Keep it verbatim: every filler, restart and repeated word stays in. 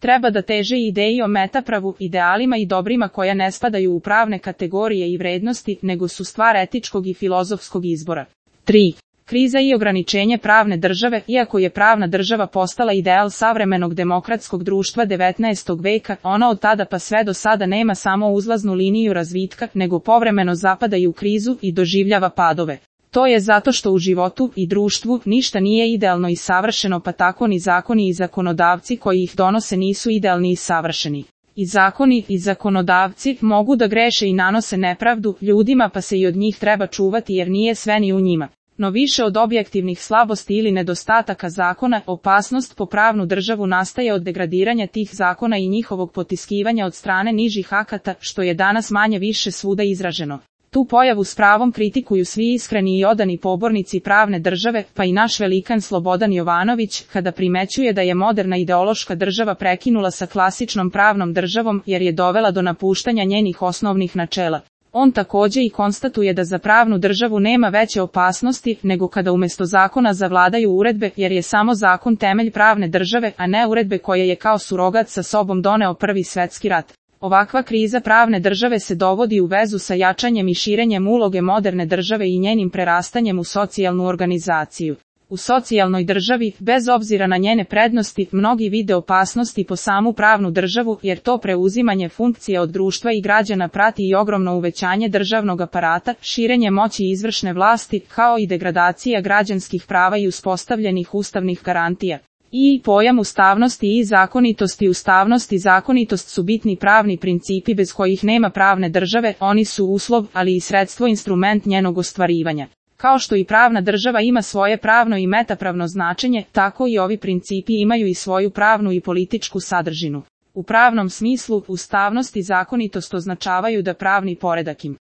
Treba da teže ideji o metapravu, idealima i dobrima koja ne spadaju u pravne kategorije i vrednosti, nego su stvar etičkog i filozofskog izbora. tri. Kriza i ograničenje pravne države. Iako je pravna država postala ideal savremenog demokratskog društva devetnaestog veka, ona od tada pa sve do sada nema samo uzlaznu liniju razvitka, nego povremeno zapada i u krizu i doživljava padove. To je zato što u životu i društvu ništa nije idealno i savršeno, pa tako ni zakoni i zakonodavci koji ih donose nisu idealni i savršeni. I zakoni i zakonodavci mogu da greše i nanose nepravdu ljudima, pa se i od njih treba čuvati jer nije sve ni u njima. No više od objektivnih slabosti ili nedostataka zakona, opasnost po pravnu državu nastaje od degradiranja tih zakona i njihovog potiskivanja od strane nižih akata, što je danas manje više svuda izraženo. Tu pojavu s pravom kritikuju svi iskreni i odani pobornici pravne države, pa i naš velikan Slobodan Jovanović, kada primećuje da je moderna ideološka država prekinula sa klasičnom pravnom državom jer je dovela do napuštanja njenih osnovnih načela. On takođe i konstatuje da za pravnu državu nema veće opasnosti nego kada umjesto zakona zavladaju uredbe, jer je samo zakon temelj pravne države, a ne uredbe koje je kao surogat sa sobom doneo Prvi svetski rat. Ovakva kriza pravne države se dovodi u vezu sa jačanjem i širenjem uloge moderne države i njenim prerastanjem u socijalnu organizaciju. U socijalnoj državi, bez obzira na njene prednosti, mnogi vide opasnosti po samu pravnu državu, jer to preuzimanje funkcije od društva i građana prati i ogromno uvećanje državnog aparata, širenje moći izvršne vlasti, kao i degradacija građanskih prava i uspostavljenih ustavnih garantija. I pojam ustavnosti i zakonitosti. Ustavnost i zakonitost su bitni pravni principi bez kojih nema pravne države, oni su uslov, ali i sredstvo, instrument njenog ostvarivanja. Kao što i pravna država ima svoje pravno i metapravno značenje, tako i ovi principi imaju i svoju pravnu i političku sadržinu. U pravnom smislu, ustavnost i zakonitost označavaju da pravni poredak im